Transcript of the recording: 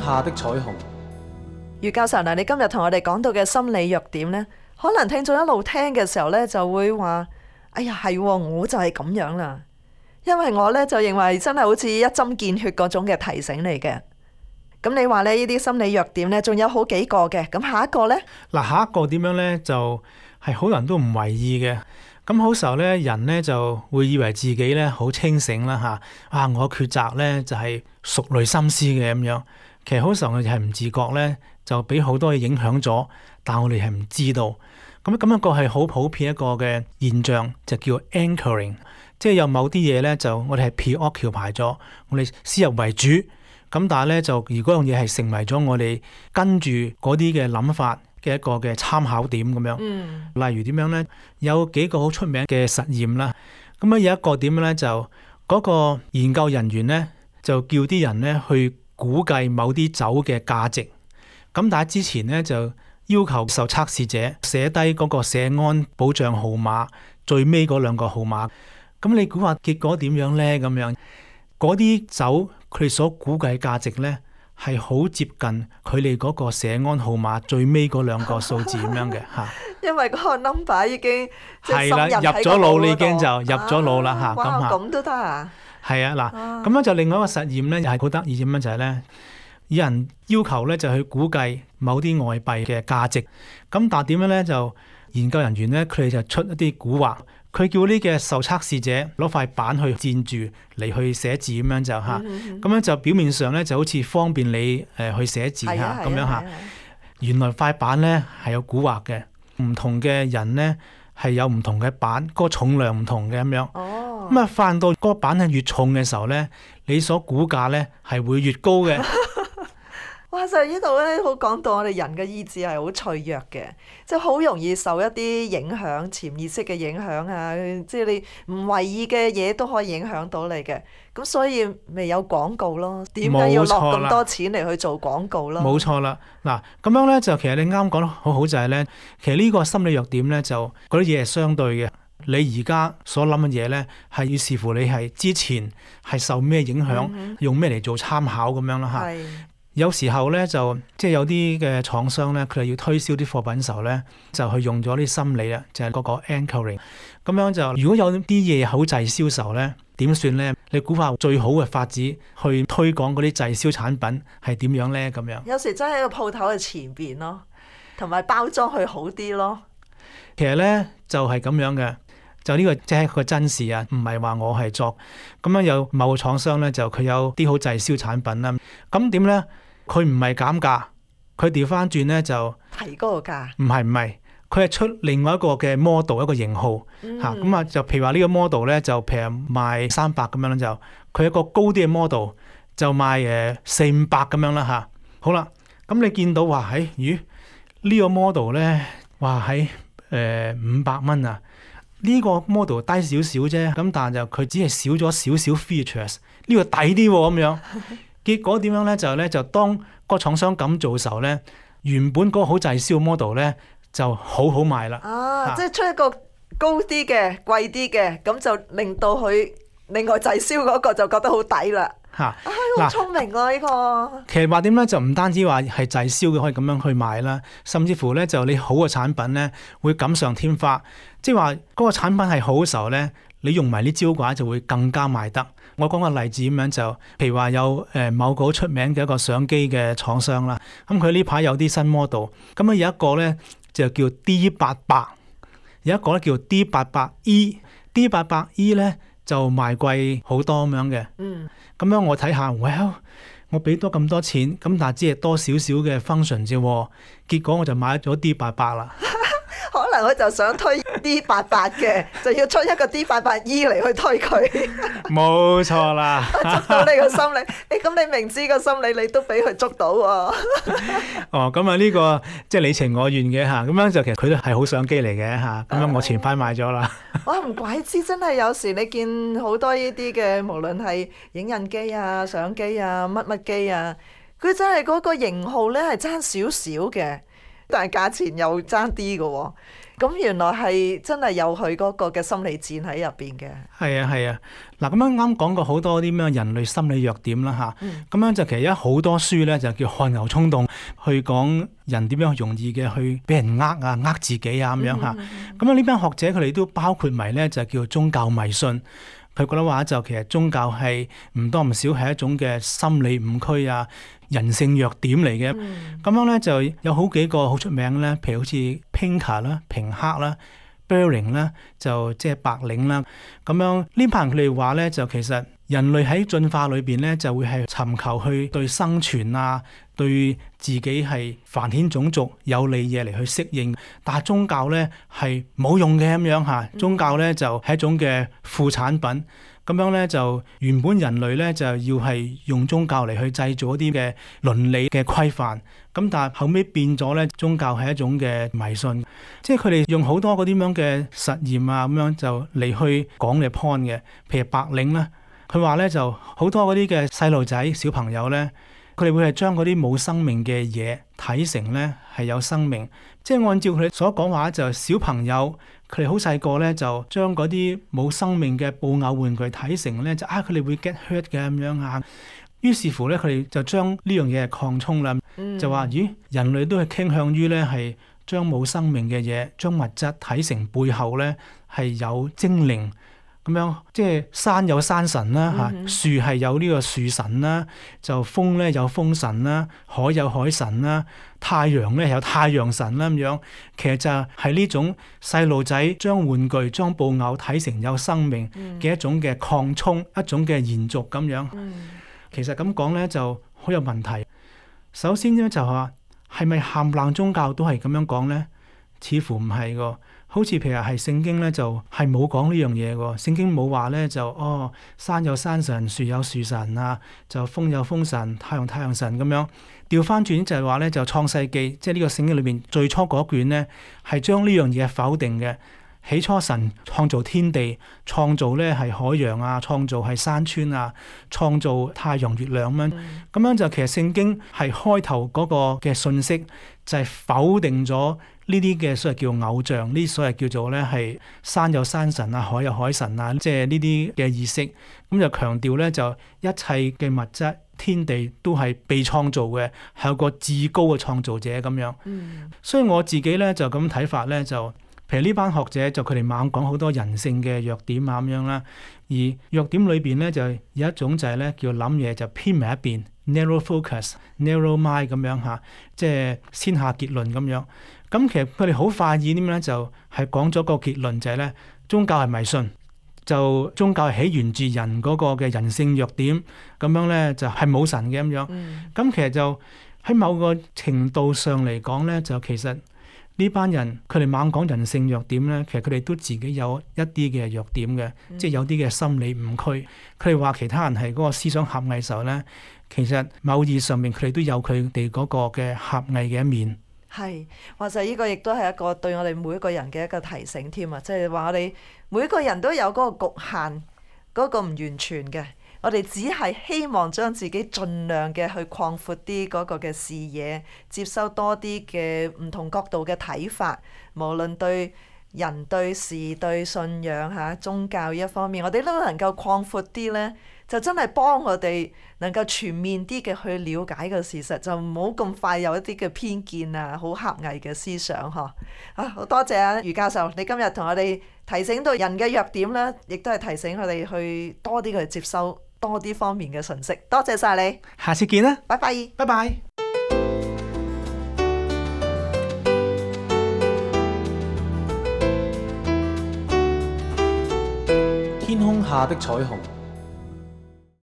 下的彩虹。余教授嗱，你今日同我哋講到嘅心理弱點呢，可能聽眾一路聽嘅時候呢，就會話：哎呀，係，我就係咁樣啦。因為我呢，就認為真係好似一針見血嗰種嘅提醒嚟嘅。咁你話呢啲心理弱點呢，仲有好幾個嘅。咁下一個呢？嗱，下一個點樣呢？就係好多人都唔為意嘅。咁好時候咧，人咧就會以為自己咧好清醒啦嚇，我抉擇咧就係熟慮心思嘅咁樣。其實好時候我哋係唔自覺咧，就俾好多嘢影響咗，但我哋係唔知道。咁一個係好普遍一個嘅現象，就叫 anchoring， 即係有某啲嘢咧就我哋係 preoccupy 咗，我哋先入為主。咁但係咧就如果樣嘢係成為咗我哋跟住嗰啲嘅諗法嘅一個嘅參考點咁樣，例如點樣呢？有幾個好出名嘅實驗啦。咁有一個點呢？就嗰個研究人員呢，就叫啲人呢去估計某啲酒嘅價值。咁但係之前呢，就要求受測試者寫低嗰個社安保障號碼最尾嗰兩個號碼。咁你估下結果點樣呢？咁樣嗰啲酒佢哋所估計價值呢，係好接近佢哋嗰個社安號碼最尾嗰兩個數字咁樣嘅嚇，因為嗰個 number 已經係啦，入咗腦，你已經就入咗腦啦嚇。咁都得啊？係啊，嗱，咁樣就另外一個實驗咧，又係好得意點樣就係咧，有人要求咧就去估計某啲外幣嘅價值，咁但係點樣咧就研究人員咧佢哋就出一啲蠱惑。佢叫呢嘅受測試者攞塊板去墊住嚟去寫字咁樣就嚇，咁樣就表面上咧就好似方便你去寫字嚇咁樣嚇。原來塊板咧係有蠱惑嘅，唔同嘅人咧係有唔同嘅板，嗰個重量唔同嘅咁樣。咁啊，發現到嗰個板係越重嘅時候咧，你所估價咧係會越高嘅。哇！就呢度咧，好講到我哋人嘅意志係好脆弱嘅，即係好容易受一啲影響、潛意識嘅影響啊！即係你唔為意嘅嘢都可以影響到你嘅。咁所以咪有廣告咯？點解要落咁多錢嚟去做廣告咯？冇錯啦！嗱，咁樣咧就其實你啱講得好好就係咧，其實呢個心理弱點咧就嗰啲嘢係相對嘅。你而家所諗嘅嘢咧係要視乎你係之前係受咩影響，用咩嚟做參考咁樣啦嚇。有時候咧就即係有啲嘅廠商咧，佢哋要推銷啲貨品嘅時候咧，就去用咗啲心理啦，就係嗰個 anchoring。咁樣就如果有啲嘢好滯銷售咧，點算咧？你估下最好嘅法子去推廣嗰啲滯銷產品係點樣咧？咁樣有時真係喺個鋪頭嘅前邊咯，同埋包裝去好啲咯。其實咧就係咁樣嘅。就呢個即係個真事啊，唔係話我係作咁樣。有某個廠商咧，就佢有啲好滯銷產品啦。咁點咧？佢唔係減價，佢調翻轉咧就提高個價。唔係，佢係出另外一個嘅 model 一個型號嚇。咁啊就譬如話呢個 model 咧就譬如賣300咁樣啦，就佢一個高啲嘅 model 就賣400-500咁樣啦嚇。好啦，咁你見到話喺呢個 model 咧話喺500蚊啊。呢個 model 低少少啫，咁但係就佢只係少咗少少 features， 呢個抵啲喎咁樣。結果點樣咧？就當個廠商咁做嘅時候咧，原本嗰個好滯銷 model 咧就好賣啦。即係出一個高啲嘅、貴啲嘅，咁就令到佢另外滯銷嗰個就覺得好抵啦。好聰明啊！呢個其實話點咧，就唔單止話係滯銷嘅可以咁樣去賣啦，甚至乎咧就你好嘅產品咧會錦上添花，即係話嗰個產品係好嘅時候咧，你用埋啲招嘅話就會更加賣得。我講個例子咁樣就，譬如話有某個好出名嘅一個相機嘅廠商啦，咁佢呢排有啲新 model， 咁有一個咧就叫 D800， 有一個咧叫 D800E，D800E 咧就賣貴好多咁樣嘅。咁樣我睇下，我俾多咁多錢，咁但係只係多少少嘅 function 啫，結果我就買咗 D800啦。可能佢就想推 D800嘅，就要出一個 D800E 嚟去推佢。冇錯啦，捉到你個心理，咁你明知個心理，你都俾佢捉到喎。咁啊呢個即係你情我願嘅嚇，咁樣就其實佢都係好相機嚟嘅嚇，咁樣我前排買咗啦。哇，唔怪之真係有時你見好多呢啲嘅，無論係影印機啊、相機啊、乜機啊，佢真係嗰個型號咧係爭少少嘅。但係價錢又爭啲嘅喎，咁原來係真係有佢嗰個嘅心理戰喺入邊嘅。係啊係啊，嗱咁樣啱講過好多啲咩人類心理弱點啦嚇，咁樣就其實有好多書咧就叫汗牛充棟，去講人點樣容易嘅去俾人呃自己啊咁樣嚇。咁樣呢班學者佢哋都包括埋咧就叫宗教迷信。佢覺得話就其實宗教係唔多唔少係一種嘅心理誤區啊、人性弱點嚟嘅。咁樣咧就有好幾個好出名咧，譬如好似 Pinker 啦、平克啦、Berling 啦，就即係白領啦。咁樣呢班人佢哋話咧，就其實人類喺進化裏邊咧，就會係尋求去對生存啊、對自己係繁衍種族有利嘢嚟去適應。但係宗教咧係冇用嘅咁樣嚇，宗教咧就係一種嘅副產品。咁樣咧就原本人類咧就要係用宗教嚟去製造一啲嘅倫理嘅規範，咁但係後尾變咗咧，宗教係一種嘅迷信，即係佢哋用好多嗰啲咁樣嘅實驗啊，咁樣就嚟去講嘅 point 嘅，譬如白領啦，佢話咧就好多嗰啲嘅細路仔小朋友咧，佢哋會係將嗰啲冇生命嘅嘢睇成咧係有生命，即係按照佢哋所講話就小朋友。佢哋好細個咧，就將嗰啲冇生命嘅布偶玩具睇成咧，就佢哋會 get hurt 嘅咁樣啊。於是乎咧，佢哋就將呢樣嘢係擴充啦，就話咦，人類都係傾向於咧係將冇生命嘅嘢，將物質睇成背後咧係有精靈咁樣，即係山有山神啦嚇，樹係有呢個樹神啦，就風咧有風神啦，海有海神啦，太陽咧有太陽神啦咁樣。其實就係呢種細路仔將玩具、將布偶睇成有生命嘅一種嘅擴充，一種嘅延續咁樣。其實咁講咧就好有問題。首先咧就話係咪冚唪唥宗教都係咁樣講咧？似乎唔係㗎。好似譬如係聖經咧，就係冇講呢樣嘢喎。聖經冇話咧就山有山神，樹有樹神啊，就風有風神，太陽神咁樣。調翻轉就係話咧，就創世記，即係呢個聖經裏邊最初嗰卷咧，係將呢樣嘢否定嘅。起初神創造天地，創造咧係海洋啊，創造係山川啊，創造太陽月亮咁樣。咁樣就其實聖經係開頭嗰個嘅信息就係否定咗呢啲嘅所謂叫偶像，呢啲所謂叫做咧係山有山神啊，海有海神啊，即係呢啲嘅意識。咁就強調咧就一切嘅物質天地都係被創造嘅，係有個至高嘅創造者咁樣。所以我自己咧就咁睇法咧就。譬如呢班學者就佢哋猛講好多人性嘅弱點啊咁樣啦，而弱點裏邊咧就有一種就係咧叫諗嘢就偏埋一邊 narrow focus、narrow mind 咁樣嚇，即係先下結論咁樣。咁其實佢哋好快意點咧就係講咗個結論就係咧宗教係迷信，就宗教係起源自人嗰個嘅人性弱點，咁樣咧就係冇神嘅咁樣。咁其實就喺某個程度上嚟講咧，就其實。呢班人佢哋猛講人性弱點咧，其實佢哋都自己有一啲嘅弱點嘅，即係有啲嘅心理誤區。佢哋話其他人係嗰個思想狹隘時候咧，其實某意義上面佢哋都有佢哋嗰個嘅狹隘嘅一面。係，或者呢個亦都係一個對我哋每一個人嘅一個提醒添啊！即係話我哋每個人都有嗰個局限，嗰個唔完全嘅。我哋只係希望將自己盡量嘅去擴闊啲嗰個嘅視野，接收多啲嘅唔同角度嘅睇法，無論對人、對事、對信仰嚇宗教一方面，我哋都能夠擴闊啲咧，就真係幫我哋能夠全面啲嘅去了解個事實，就唔好咁快有一啲嘅偏見啊，好狹隘嘅思想呵。好多謝啊余教授，你今日同我哋提醒到人嘅弱點啦，亦都係提醒我哋去多啲去接收多啲方面嘅信息。多謝晒你，下次見啦，拜拜，拜拜。天空下的彩虹。